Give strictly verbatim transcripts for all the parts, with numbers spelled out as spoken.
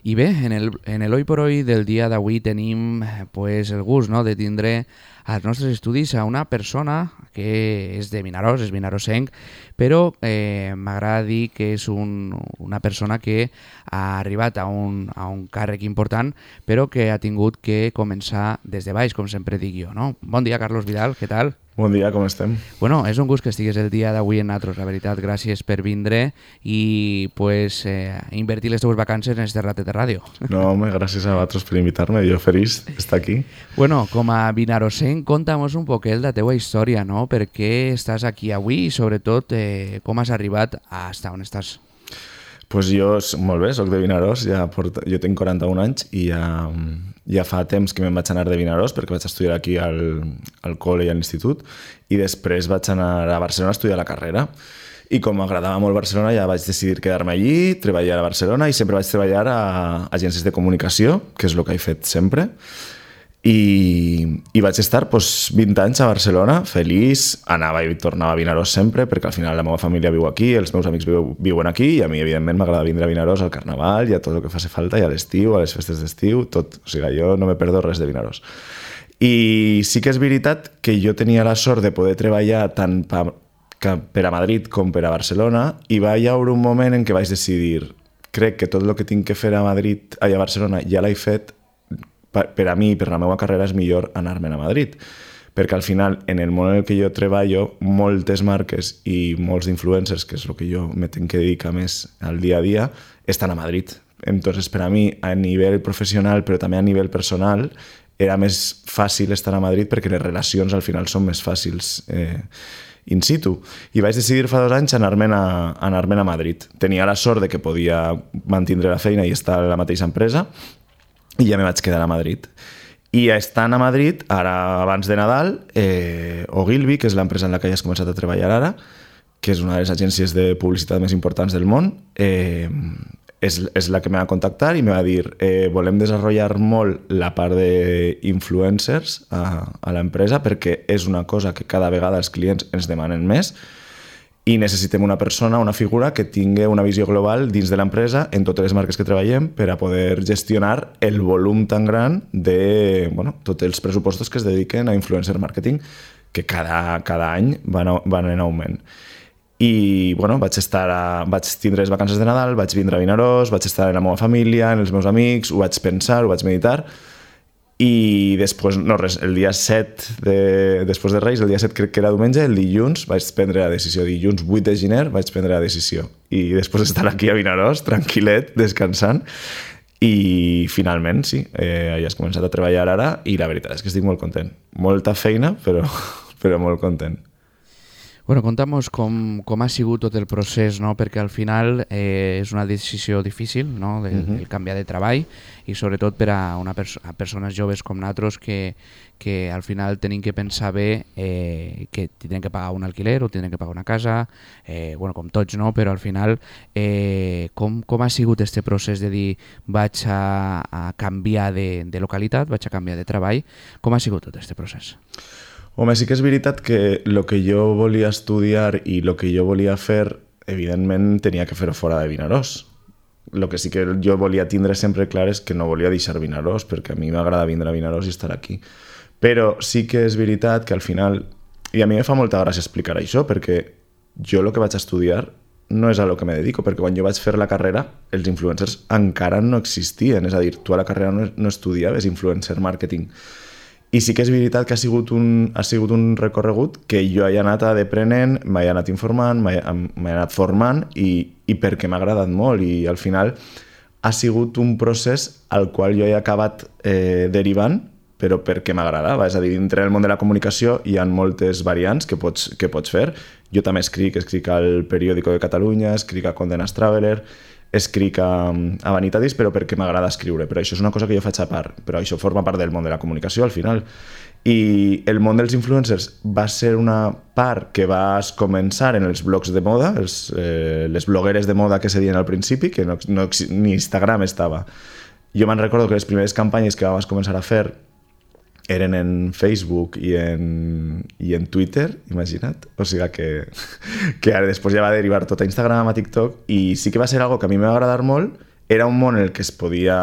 I bé, en el, en el Hoy por Hoy del dia d'avui tenim pues, el gust, no?, de tindre als nostres estudis a una persona que és de Vinaròs, és vinarosenc, però eh, m'agrada dir que és un, una persona que ha arribat a un, a un càrrec important, però que ha tingut que començar des de baix, com sempre dic jo, no? Bon dia, Carlos Vidal, què tal? Bon dia, com estem? Bueno, és un gust que estigues el dia d'avui en nosaltres, la veritat. Gràcies per vindre i pues, eh, invertir les teves vacances en este ratet de ràdio. No, home, gràcies a vosaltres per invitar-me. Jo feliç d'estar aquí. Bueno, com a vinarosenc, conta'm un poquet la teua història, no? Per què estàs aquí avui i, sobretot, eh, com has arribat a estar on estàs? Pues jo, molt bé, soc de Vinaròs, ja porto, jo tinc quaranta-un anys i ja, ja fa temps que me'n vaig anar de Vinaròs perquè vaig estudiar aquí al, al col·le i a l'institut i després vaig anar a Barcelona a estudiar la carrera. I com m'agradava molt Barcelona ja vaig decidir quedar-me allí, treballar a Barcelona i sempre vaig treballar a agències de comunicació, que és el que he fet sempre. I, i vaig estar pues, vint anys a Barcelona, feliç, anava i tornava a Vinaròs sempre, perquè al final la meva família viu aquí, els meus amics viu, viuen aquí, i a mi, evidentment, m'agrada vindre a Vinaròs al Carnaval i a tot el que faci falta, i a l'estiu, a les festes d'estiu, tot. O sigui, jo no me perdo res de Vinaròs. I sí que és veritat que jo tenia la sort de poder treballar tant pa, per a Madrid com per a Barcelona, i va haver un moment en què vaig decidir, crec que tot el que tinc que fer a Madrid, a Barcelona, ja l'he fet, per a mi i per la meva carrera és millor anar-me'n a Madrid, perquè al final en el món en el que jo treballo moltes marques i molts influencers, que és el que jo me tinc que dedicar més al dia a dia, estan a Madrid. Entonces per a mi a nivell professional però també a nivell personal era més fàcil estar a Madrid perquè les relacions al final són més fàcils eh, in situ. I vaig decidir fa dos anys anar-me'n a, anar-me'n a Madrid. Tenia la sort de que podia mantindre la feina i estar a la mateixa empresa, i ja me vaig quedar a Madrid. I estant a Madrid, ara abans de Nadal, eh, Ogilvy, que és l'empresa en la que ja has començat a treballar ara, que és una de les agències de publicitat més importants del món, eh, és, és la que me va contactar i me va dir eh, volem desenvolupar molt la part d'influencers a, a l'empresa perquè és una cosa que cada vegada els clients ens demanen més, i necessitem una persona, una figura que tingui una visió global dins de l'empresa en totes les marques que treballem per a poder gestionar el volum tan gran de bueno, tots els pressupostos que es dediquen a influencer marketing, que cada, cada any van, a, van en augment. I bueno, vaig, estar a, vaig tindre les vacances de Nadal, vaig vindre a Vinaròs, vaig estar en la meva família, en els meus amics, ho vaig pensar, ho vaig meditar. I després, no res, el dia set, de, després de Reis, el dia set crec que era diumenge, el dilluns vaig prendre la decisió, dilluns vuit de gener vaig prendre la decisió. I després d'estar aquí a Vinaròs, tranquil·let, descansant, i finalment, sí, eh, ja has començat a treballar ara i la veritat és que estic molt content. Molta feina, però, però molt content. Bueno, conta'm com, com ha sigut tot el procés, no? Perquè al final eh, és una decisió difícil, no? de, uh-huh. el canviar de treball, i sobretot per a, una perso a persones joves com nosaltres que, que al final tenim que pensar bé eh, que tindrem que pagar un alquiler o tindrem que pagar una casa, eh, bueno, com tots, no? Però al final eh, com, com ha sigut este procés de dir vaig a, a canviar de, de localitat, vaig a canviar de treball, com ha sigut tot este procés? Home, sí que és veritat que el que jo volia estudiar i el que jo volia fer, evidentment tenia que fer-ho fora de Vinaròs. El que sí que jo volia tindre sempre clar és que no volia deixar Vinaròs, perquè a mi m'agrada vindre a Vinaròs i estar aquí. Però sí que és veritat que al final, i a mi em fa molta gràcia explicar això, perquè jo el que vaig estudiar no és a lo que me dedico, perquè quan jo vaig fer la carrera, els influencers encara no existien, és a dir, tu a la carrera no, no estudiaves influencer marketing. I sí que és veritat que ha sigut un, ha sigut un recorregut que jo he anat deprenent, m'he anat informant, m'he anat formant i, i perquè m'ha agradat molt, i al final ha sigut un procés al qual jo he acabat eh, derivant, però perquè m'agradava. És a dir, dintre del món de la comunicació hi ha moltes variants que pots, que pots fer. Jo també escric, escric al Periódico de Catalunya, escric a Condé Nast Traveler, escric a, a Vanitatis, però perquè m'agrada escriure. Però això és una cosa que jo faig a part, però això forma part del món de la comunicació al final. I el món dels influencers va ser una part que va començar en els blogs de moda, els, eh, les blogueres de moda que se diuen al principi, que no, no, ni Instagram estava. Jo me'n recordo que les primeres campanyes que vam començar a fer eren en Facebook i en, i en Twitter, imagina't. O sigui que, que ara després ja va derivar tot a Instagram, a TikTok, i sí que va ser algo que a mi m'ha agradat molt era un món en el que es podia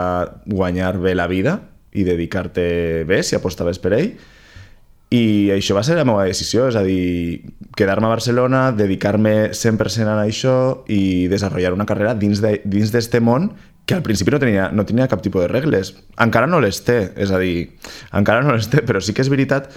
guanyar bé la vida i dedicar-te bé si apostaves per ell, i això va ser la meva decisió, és a dir, quedar-me a Barcelona, dedicar-me cent per cent a això i desenvolupar una carrera dins d'este món que al principi no tenia, no tenia cap tipus de regles. Encara no les té, és a dir, encara no les té, però sí que és veritat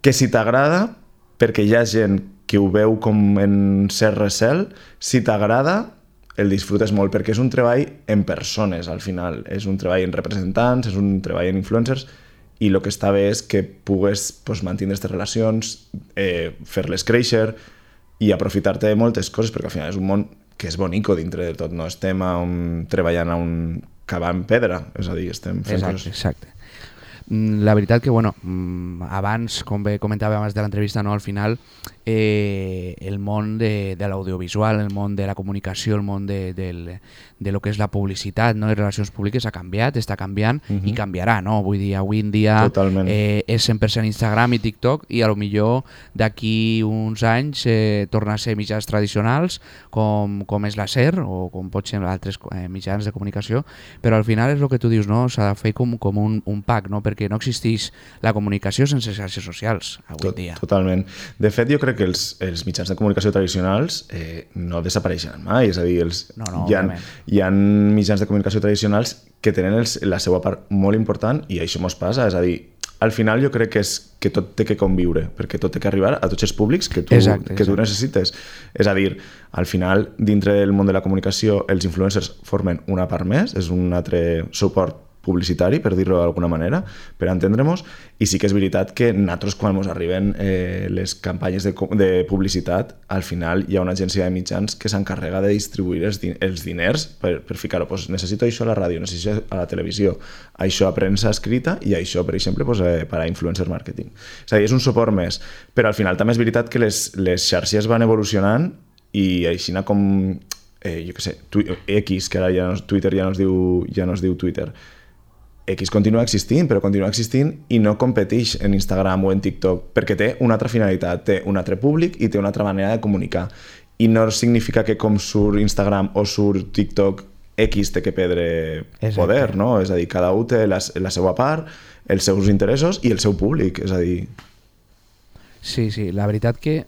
que si t'agrada, perquè hi ha gent que ho veu com en cert recel, si t'agrada, el disfrutes molt, perquè és un treball en persones, al final. És un treball en representants, és un treball en influencers, i el que està bé és que pugues pues, mantenir aquestes relacions, eh, fer-les créixer i aprofitar-te de moltes coses, perquè al final és un món que és bonico dintre de tot, no estem a un, treballant a un cavant pedra, és a dir, estem fent exacte, coses... Exacte. La veritat que, bueno, abans, com bé comentava abans de l'entrevista, no, al final eh, el món de, de l'audiovisual, el món de la comunicació, el món de, de, de lo que és la publicitat, no, les relacions públiques ha canviat, està canviant uh-huh. i canviarà, no? Vull dir, avui en dia eh, és cent per cent Instagram i TikTok i a lo millor d'aquí uns anys eh, torna a ser mitjans tradicionals com, com és la SER o com pot ser altres eh, mitjans de comunicació, però al final és el que tu dius, no? S'ha de fer com, com un, un pack, no? Perquè no existeix la comunicació sense xarxes socials avui Tot, dia. Totalment. De fet, jo crec que els, els mitjans de comunicació tradicionals eh, no desapareixen mai, és a dir, els, no, no, hi, ha, hi ha mitjans de comunicació tradicionals que tenen els, la seva part molt important i això mos passa, és a dir, al final jo crec que, és, que tot té que conviure, perquè tot té que arribar a tots els públics que tu, exacte, que tu exacte. necessites. És a dir, al final, dintre del món de la comunicació, els influencers formen una part més, és un altre suport publicitari, per dir-ho d'alguna manera, per entendre-nos, i sí que és veritat que nosaltres quan ens arriben eh, les campanyes de, de publicitat, al final hi ha una agència de mitjans que s'encarrega de distribuir els, din els diners per, per ficar-ho, pues, necessito això a la ràdio, necessito a la televisió, això a premsa escrita i això, per exemple, pues, eh, per a influencer marketing. És a dir, és un suport més, però al final també és veritat que les, les xarxes van evolucionant i així com, eh, jo què sé, X, que ara ja no, Twitter ja no es diu, ja no es diu Twitter, X continua existint, però continua existint i no competeix en Instagram o en TikTok perquè té una altra finalitat, té un altre públic i té una altra manera de comunicar. I no significa que com surt Instagram o surt TikTok, X té que perdre Exacte. poder, no? És a dir, cada un té la, la seva part, els seus interessos i el seu públic, és a dir... Sí, sí, la veritat que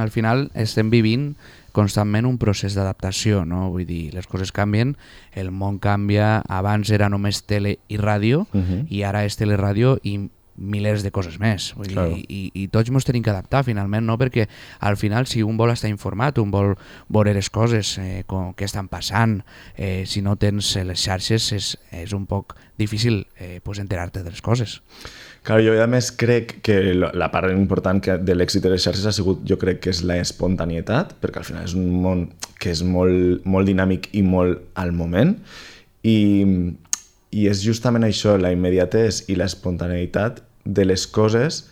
al final estem vivint constantment un procés d'adaptació, no? Vull dir, les coses canvien, el món canvia, abans era només tele i ràdio, uh-huh. i ara és tele, ràdio i milers de coses més. Vull claro. dir, i, I tots ens tenim que adaptar finalment, no? Perquè al final si un vol estar informat, un vol veure les coses, eh, com, què estan passant, eh, si no tens les xarxes és, és un poc difícil eh, pues, enterar-te de les coses. Claro, jo a més crec que la part important de l'èxit de les xarxes ha sigut, jo crec que és la espontanietat, perquè al final és un món que és molt, molt dinàmic i molt al moment, i, i és justament això, la immediatesa i l'espontaneïtat de les coses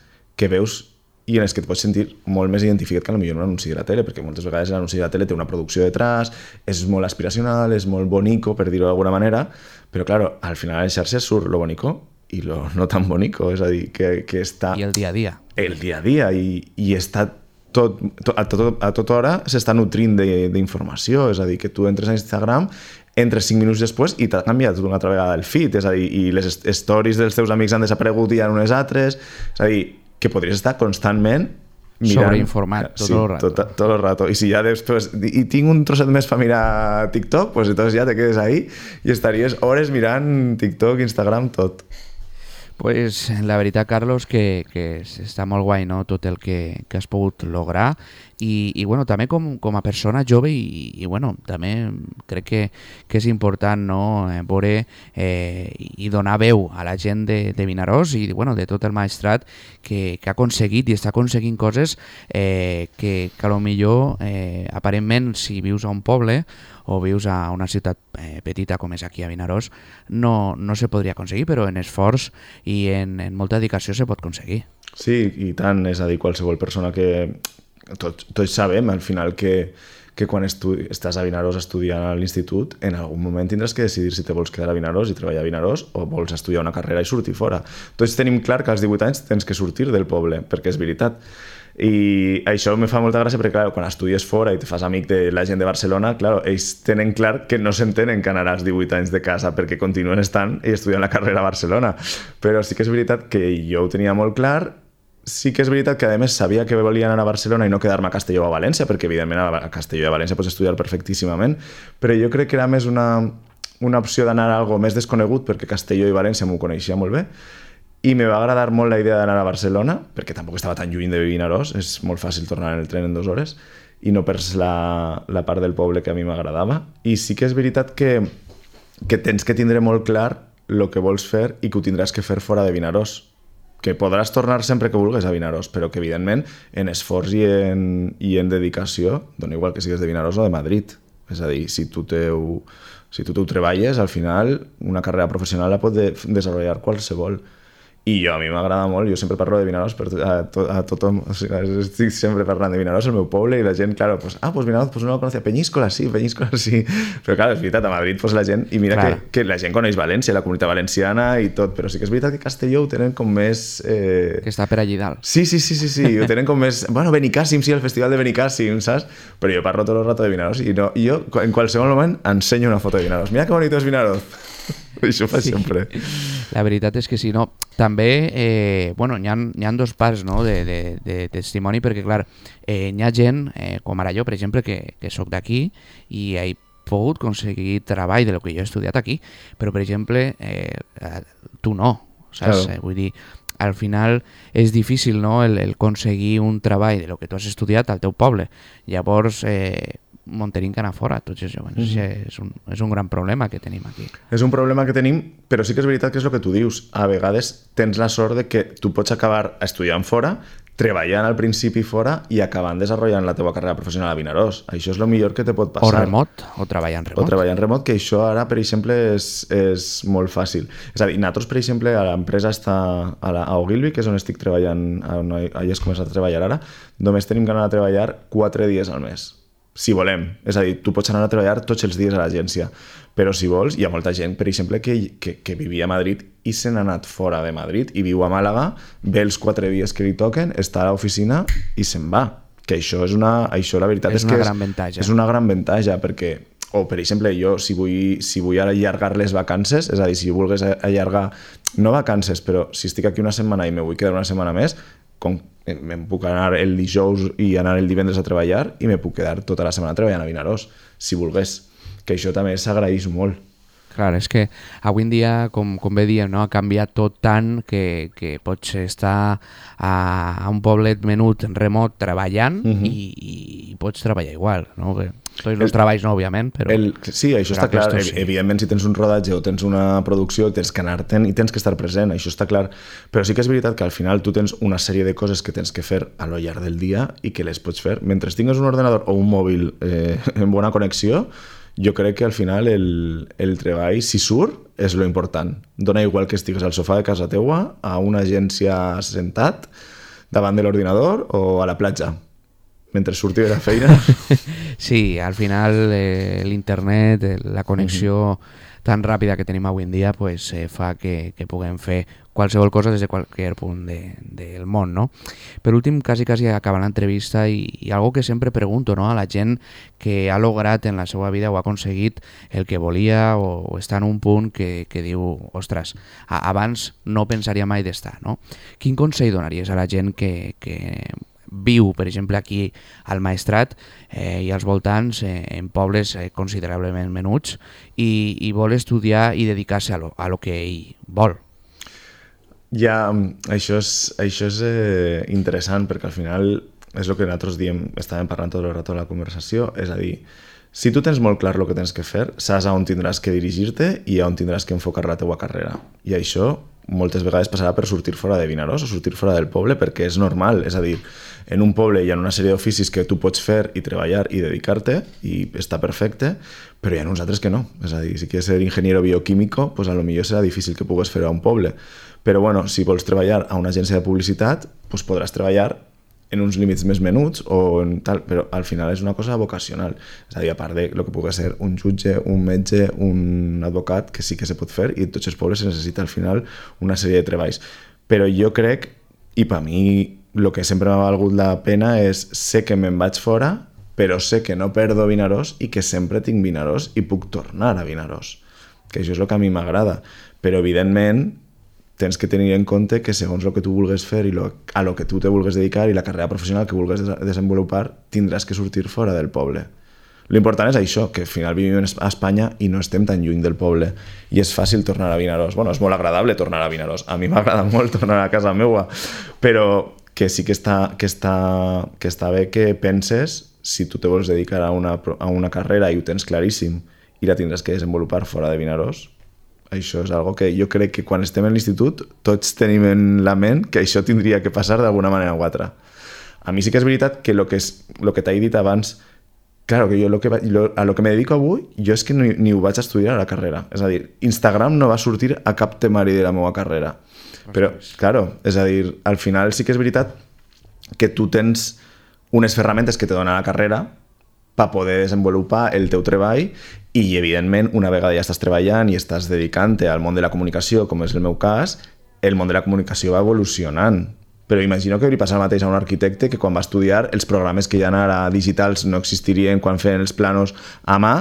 que veus i en les que et pots sentir molt més identificat que potser en un anunci de la tele, perquè moltes vegades l'anunci de la tele té una producció detrás, és molt aspiracional, és molt bonico, per dir-ho d'alguna manera, però claro, al final a les xarxes surt lo bonico i lo no tan bonico, és a dir, que, que està... I el dia a dia. El dia a dia, i, i està tot, tot, a, tot, a tota hora s'està nutrint d'informació, és a dir, que tu entres a Instagram, entres cinc minuts després i t'ha canviat una altra vegada el feed, és a dir, i les stories dels teus amics han desaparegut i hi ha unes altres, és a dir, que podries estar constantment mirant... Sobreinformat tot sí, el rato. Tot, tot el rato. I si ja després... I tinc un trosset més per mirar TikTok, pues entonces ja te quedes ahí i estaries hores mirant TikTok, Instagram, tot. Pues la veritat, Carlos, que, que està molt guai, no? Tot el que, que has pogut lograr i, i bueno, també com, com a persona jove i, i bueno, també crec que, que és important, no? Veure eh, i donar veu a la gent de, de Vinaròs i bueno, de tot el maestrat que, que ha aconseguit i està aconseguint coses eh, que, que a lo millor eh, aparentment si vius a un poble o vius a una ciutat eh, petita com és aquí a Vinaròs, no, no se podria aconseguir, però en esforç i en, en molta dedicació se pot aconseguir. Sí, i tant, és a dir, qualsevol persona que... Tots, tots sabem al final que, que quan estudi, estàs a Vinaròs estudiant a l'institut, en algun moment tindràs que decidir si te vols quedar a Vinaròs i treballar a Vinaròs o vols estudiar una carrera i sortir fora. Tots tenim clar que als divuit anys tens que sortir del poble, perquè és veritat. I això me fa molta gràcia perquè, clar, quan estudies fora i te fas amic de la gent de Barcelona, clar, ells tenen clar que no s'entenen que anar als divuit anys de casa perquè continuen estant i estudiant la carrera a Barcelona. Però sí que és veritat que jo ho tenia molt clar. Sí que és veritat que, a més, sabia que volia anar a Barcelona i no quedar-me a Castelló o a València, perquè, evidentment, a Castelló i a València pots estudiar perfectíssimament, però jo crec que era més una, una opció d'anar a algo més desconegut, perquè Castelló i València m'ho coneixia molt bé, i me va agradar molt la idea d'anar a Barcelona, perquè tampoc estava tan lluny de Vinaròs, és molt fàcil tornar en el tren en dues hores, i no perds la, la part del poble que a mi m'agradava. I sí que és veritat que, que tens que tindre molt clar el que vols fer i que ho tindràs que fer fora de Vinaròs. Que podràs tornar sempre que vulguis a Vinaròs, però que, evidentment, en esforç i en, i en dedicació, dona igual que sigues de Vinaròs o de Madrid. És a dir, si tu teu, si tu teu treballes, al final, una carrera professional la pot de, desenvolupar qualsevol. I jo, a mi m'agrada molt, jo sempre parlo de Vinaròs per a, to, a tothom, o sigui, estic sempre parlant de Vinaròs, el meu poble, i la gent, claro, pues, ah, pues Vinaròs, pues no lo conocía, Peñíscola, sí, Peñíscola, sí, però clar, és veritat, a Madrid, pues la gent, i mira claro. que, que la gent coneix València, la comunitat valenciana i tot, però sí que és veritat que Castelló ho tenen com més... Eh... Que està per allí dalt. Sí, sí, sí, sí, sí, ho tenen com més... Bueno, Benicàssim, sí, el festival de Benicàssim, saps? Però jo parlo tot el rato de Vinaròs i no, jo, en qualsevol moment, ensenyo una foto de Vinaròs. Mira que bonito és Vinaròs. Això fa sí. sempre. La veritat és que sí, no. També, eh, bueno, hi ha, hi ha dos parts, no?, de, de, de testimoni, perquè, clar, eh, hi ha gent, eh, com ara jo, per exemple, que, que soc d'aquí i he pogut aconseguir treball de lo que jo he estudiat aquí, però, per exemple, eh, tu no, saps? Claro. Eh, vull dir, al final és difícil, no?, el, el aconseguir un treball de lo que tu has estudiat al teu poble. Llavors, eh, Monterín que anar fora, tots els joves. Mm-hmm. És, un, és un gran problema que tenim aquí. És un problema que tenim, però sí que és veritat que és el que tu dius. A vegades tens la sort de que tu pots acabar estudiant fora, treballant al principi fora i acabant desenvolupant la teva carrera professional a Vinaròs. Això és el millor que te pot passar. O remot, o treballant remot. O treballant remot, que això ara, per exemple, és, és molt fàcil. És a dir, nosaltres, per exemple, a l'empresa està a, la, a Ogilvy, que és on estic treballant, on he començat a treballar ara, només tenim que anar a treballar quatre dies al mes. Si volem. És a dir, tu pots anar a treballar tots els dies a l'agència, però si vols, hi ha molta gent, per exemple, que, que, que vivia a Madrid i se n'ha anat fora de Madrid i viu a Màlaga, ve els quatre dies que li toquen, està a l'oficina i se'n va. Que això és una... Això la veritat és, és que és, gran avantatge. és una gran avantatge, perquè... O, per exemple, jo, si vull, si vull allargar les vacances, és a dir, si volgués allargar, no vacances, però si estic aquí una setmana i me vull quedar una setmana més, com em puc anar el dijous i anar el divendres a treballar i me puc quedar tota la setmana treballant a Vinaròs, si volgués, que això també s'agraeix molt. Clar, és que avui en dia, com, com bé diem, no? Ha canviat tot tant que, que pots estar a, a un poblet menut remot treballant uh-huh. i, i pots treballar igual, no? Tots els el, treballs no, òbviament, però... El, sí, això està clar. Sí. Evidentment, si tens un rodatge o tens una producció, tens que anar-te'n i tens que estar present, això està clar. Però sí que és veritat que al final tu tens una sèrie de coses que tens que fer a lo llarg del dia i que les pots fer. Mentre tingues un ordenador o un mòbil eh, en bona connexió, jo crec que al final el, el treball, si surt, és lo important. Dona igual que estigues al sofà de casa teua, a una agència sentat, davant de l'ordinador o a la platja, mentre surti de la feina. Sí, al final eh, l'internet, la connexió uh-huh. tan ràpida que tenim avui en dia pues, eh, fa que, que puguem fer qualsevol cosa des de qualsevol punt de, del món, no? Per últim, quasi, quasi acabant l'entrevista i, i algo que sempre pregunto, no? A la gent que ha lograt en la seva vida o ha aconseguit el que volia o, o està en un punt que, que diu, ostres, a, abans no pensaria mai d'estar, no? Quin consell donaries a la gent que, que viu, per exemple, aquí al Maestrat eh, i als voltants, eh, en pobles eh, considerablement menuts, i, i vol estudiar i dedicar-se a lo, a lo que ell vol? Ja, això és, això és eh, interessant, perquè al final és el que nosaltres diem, estàvem parlant tot el rato de la conversació, és a dir, si tu tens molt clar el que tens que fer, saps on tindràs que dirigir-te i on tindràs que enfocar la teua carrera. I això moltes vegades passarà per sortir fora de Vinaròs o sortir fora del poble, perquè és normal, és a dir, en un poble hi ha una sèrie d'oficis que tu pots fer i treballar i dedicar-te i està perfecte, però hi ha uns altres que no. És a dir, si quieres ser ingeniero bioquímico, pues a lo millor serà difícil que pugues fer a un poble. Però bueno, si vols treballar a una agència de publicitat, pues podràs treballar en uns límits més menuts o en tal, però al final és una cosa vocacional. És a dir, a part de lo que pugui ser un jutge, un metge, un advocat, que sí que se pot fer, i en tots els pobles se necessita al final una sèrie de treballs. Però jo crec, i per mi el que sempre m'ha valgut la pena és sé que me'n vaig fora, però sé que no perdo Vinaròs i que sempre tinc Vinaròs i puc tornar a Vinaròs. Que això és el que a mi m'agrada. Però, evidentment, tens que tenir en compte que segons el que tu vulgues fer i lo, a lo que tu te vulgues dedicar i la carrera professional que vulgues desenvolupar, tindràs que sortir fora del poble. L'important és això, que al final vivim a Espanya i no estem tan lluny del poble i és fàcil tornar a Vinaròs. Bueno, és molt agradable tornar a Vinaròs. A mi m'agrada molt tornar a casa meua, però que sí que està, que està, que està bé que penses si tu te vols dedicar a una, a una carrera i ho tens claríssim i la tindràs que desenvolupar fora de Vinaròs. Això és algo que jo crec que quan estem en l'institut tots tenim en la ment que això tindria que passar d'alguna manera o altra. A mi sí que és veritat que el que, és, lo que t'he dit abans, claro, que jo lo que, lo, a lo que me dedico avui, jo és que ni, ni ho vaig estudiar a la carrera. És a dir, Instagram no va sortir a cap temari de la meva carrera. Però, claro, és a dir, al final sí que és veritat que tu tens unes ferramentes que te dona la carrera per poder desenvolupar el teu treball i, evidentment, una vegada ja estàs treballant i estàs dedicant-te al món de la comunicació, com és el meu cas, el món de la comunicació va evolucionant. Però imagino que li passa el mateix a un arquitecte que quan va estudiar els programes que hi ha ara digitals no existirien quan feien els planos a mà.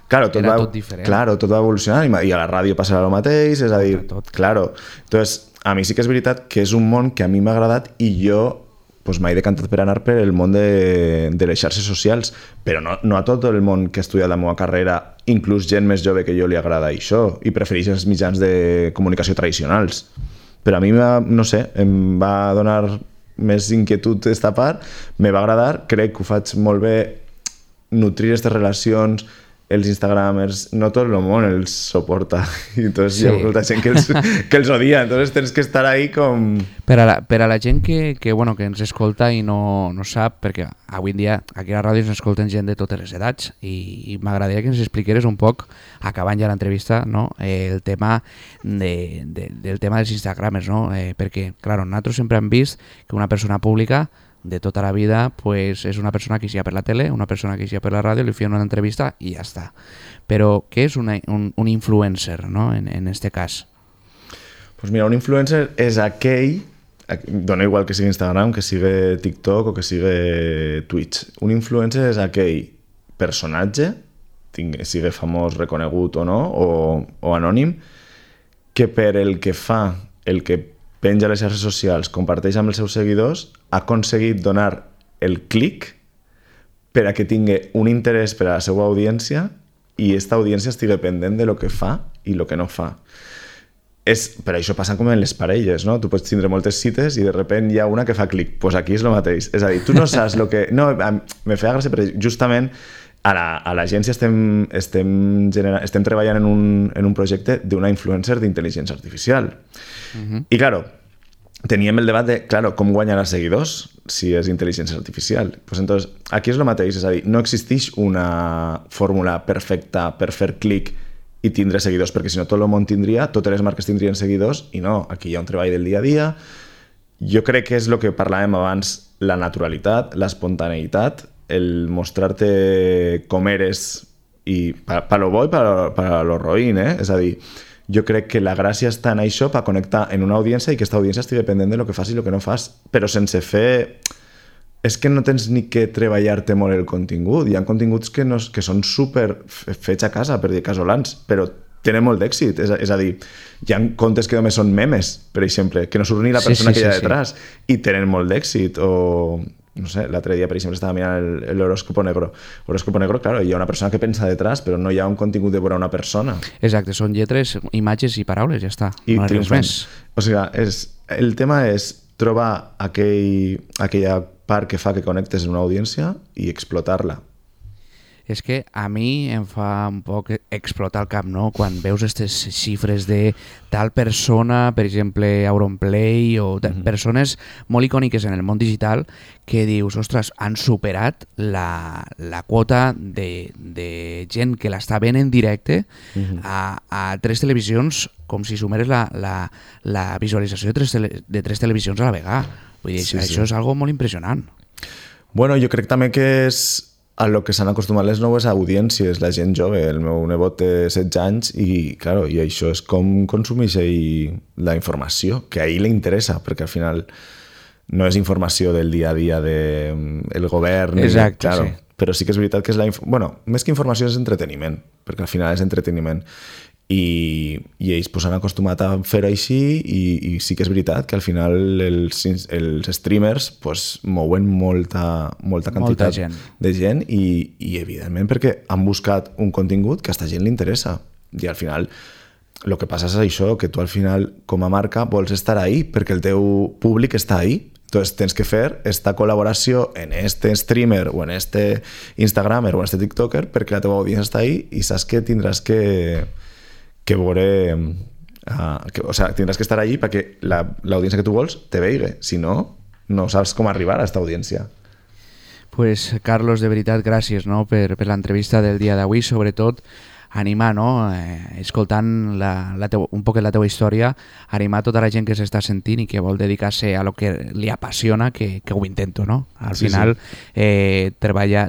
Claro, tot, va, tot diferent. Claro, tot va evolucionant i a la ràdio passarà el mateix, és a dir, tot. Claro. Entonces, a mi sí que és veritat que és un món que a mi m'ha agradat i jo pues, m'he decantat per anar per el món de, de les xarxes socials, però no, no a tot el món que ha estudiat la meva carrera, inclús gent més jove que jo li agrada això i prefereix els mitjans de comunicació tradicionals. Però a mi, no sé, em va donar més inquietud aquesta part, me va agradar, crec que ho faig molt bé, nutrir aquestes relacions, els instagramers, no tot el món els soporta, i entonces sí. Hi ha molta gent que els, que els odia, entonces tens que estar ahí com... Per a la, per a la gent que, que, bueno, que ens escolta i no, no sap, perquè avui en dia aquí a la ràdio ens escolten gent de totes les edats i, i m'agradaria que ens expliqueres un poc, acabant ja l'entrevista, no? eh, el tema de, de, del tema dels instagramers, no? eh, perquè, clar, nosaltres sempre hem vist que una persona pública de tota la vida pues, és una persona que eixia per la tele, una persona que eixia per la ràdio, li feia una entrevista i ja està. Però què és una, un, un influencer, no? en, en este cas? Pues mira, un influencer és aquell, dona igual que sigui Instagram, que sigui TikTok o que sigui Twitch. Un influencer és aquell personatge, sigui famós, reconegut o no, o, o anònim, que per el que fa, el que penja a les xarxes socials, comparteix amb els seus seguidors, ha aconseguit donar el clic per a que tingui un interès per a la seva audiència i aquesta audiència estigui pendent de lo que fa i lo que no fa. És, per això passa com en les parelles, no? Tu pots tindre moltes cites i de repente hi ha una que fa clic. Doncs pues aquí és el mateix. És a dir, tu no saps el que... No, me feia gràcia, però justament a l'agència estem, estem, genera... estem treballant en un, en un projecte d'una influencer d'intel·ligència artificial. Uh-huh. I, claro, teníem el debat de, claro, com guanyarà seguidors si és intel·ligència artificial. Pues entonces, aquí és el mateix, és a dir, no existeix una fórmula perfecta per fer clic i tindre seguidors, perquè si no tot el món tindria, totes les marques tindrien seguidors i no, aquí hi ha un treball del dia a dia. Jo crec que és el que parlàvem abans, la naturalitat, l'espontaneïtat, el mostrar-te com eres i pa, pa lo bo i pa, pa lo roïn, eh? És a dir, jo crec que la gràcia està en això per connectar en una audiència i que aquesta audiència estigui pendent de lo que fas i lo que no fas, però sense fer... És que no tens ni que treballar-te molt el contingut. Hi ha continguts que, no, que són super fets a casa, per dir casolans, però tenen molt d'èxit. És, és a dir, hi ha contes que només són memes, per exemple, que no surt ni la persona sí, sí, que hi ha sí, detrás, sí. I tenen molt d'èxit. O, no sé, l'altre dia, per exemple, estava mirant l'horòscopo negro. L'horòscopo negro, claro, hi ha una persona que pensa detrás, però no hi ha un contingut de veure una persona. Exacte, són lletres, imatges i paraules, ja està. I no res més. O sigui, és, el tema és trobar aquell, aquella part que fa que connectes en una audiència i explotar-la. És que a mi em fa un poc explotar el cap, no? Quan veus aquestes xifres de tal persona, per exemple, Auronplay, o mm-hmm. persones molt icòniques en el món digital que dius, ostres, han superat la, la quota de, de gent que l'està veient en directe mm-hmm. a, a tres televisions, com si sumeres la, la, la visualització de tres, tele, de tres televisions a la vegada. Vull dir, sí, això sí. És algo molt impressionant. Bueno, jo crec també que és a lo que s'han acostumat les noves audiències, la gent jove. El meu nebot té setze anys i, claro, i això és com consumeix ell la informació, que a ell li interessa, perquè al final no és informació del dia a dia del de, govern. Exacte, claro, sí. Però sí que és veritat que és la... Bueno, més que informació és entreteniment, perquè al final és entreteniment. I, i ells pues, han acostumat a fer-ho així i, i sí que és veritat que al final els, els streamers pues, mouen molta, molta quantitat molta gent. de gent i, i evidentment perquè han buscat un contingut que a esta gent li interessa. I al final el que passa és això, que tu al final com a marca vols estar ahí perquè el teu públic està ahí. Entonces tens que fer esta col·laboració en este streamer o en este instagramer o en este tiktoker perquè la teva audiència està ahí i saps que tindràs que, que veure... Uh, que, o sea, tindràs que estar allí perquè l'audiència la, que tu vols te veiga. Si no, no saps com arribar a esta audiència. Pues, Carlos, de veritat, gràcies, no? per, per l'entrevista del dia d'avui, sobretot animar, no? eh, escoltant la, la teu, un poc la teva història, animar tota la gent que s'està sentint i que vol dedicar-se a lo que li apassiona, que, que ho intento, no? Al sí, final, sí. Eh, treballa,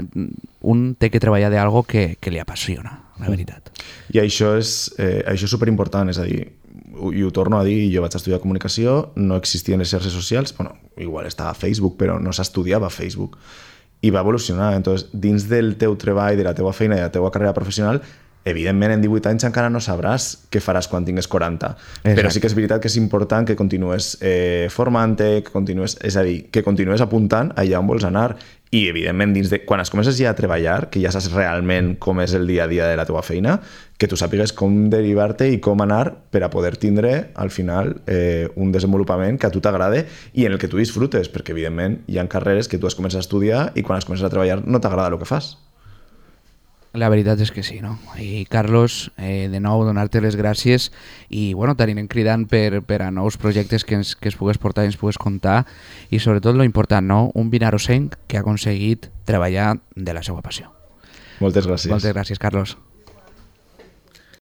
un té que treballar d'algo que, que li apassiona, la veritat. I això és, eh, això és superimportant, és a dir, i ho torno a dir, jo vaig estudiar comunicació, no existien les xarxes socials, bueno, igual estava Facebook, però no s'estudiava Facebook, i va evolucionar. Entonces, dins del teu treball, de la teua feina i de la teua carrera professional, evidentment en divuit anys encara no sabràs què faràs quan tingues quaranta. Exacte. Però sí que és veritat que és important que continues eh, formant-te, que continues, és a dir, que continues apuntant allà on vols anar. I evidentment dins de, quan es comences ja a treballar, que ja saps realment com és el dia a dia de la teva feina, que tu sàpigues com derivar-te i com anar per a poder tindre al final eh, un desenvolupament que a tu t'agrade i en el que tu disfrutes, perquè evidentment hi ha carreres que tu has començat a estudiar i quan has començat a treballar no t'agrada el que fas. La veritat és que sí, no? I Carlos, eh, de nou donar-te les gràcies i bueno, t'anirem cridant per, per a nous projectes que ens, que es pugues portar i ens pugues contar i sobretot lo important, no? Un vinarosenc que ha aconseguit treballar de la seva passió. Moltes gràcies. Moltes gràcies, Carlos.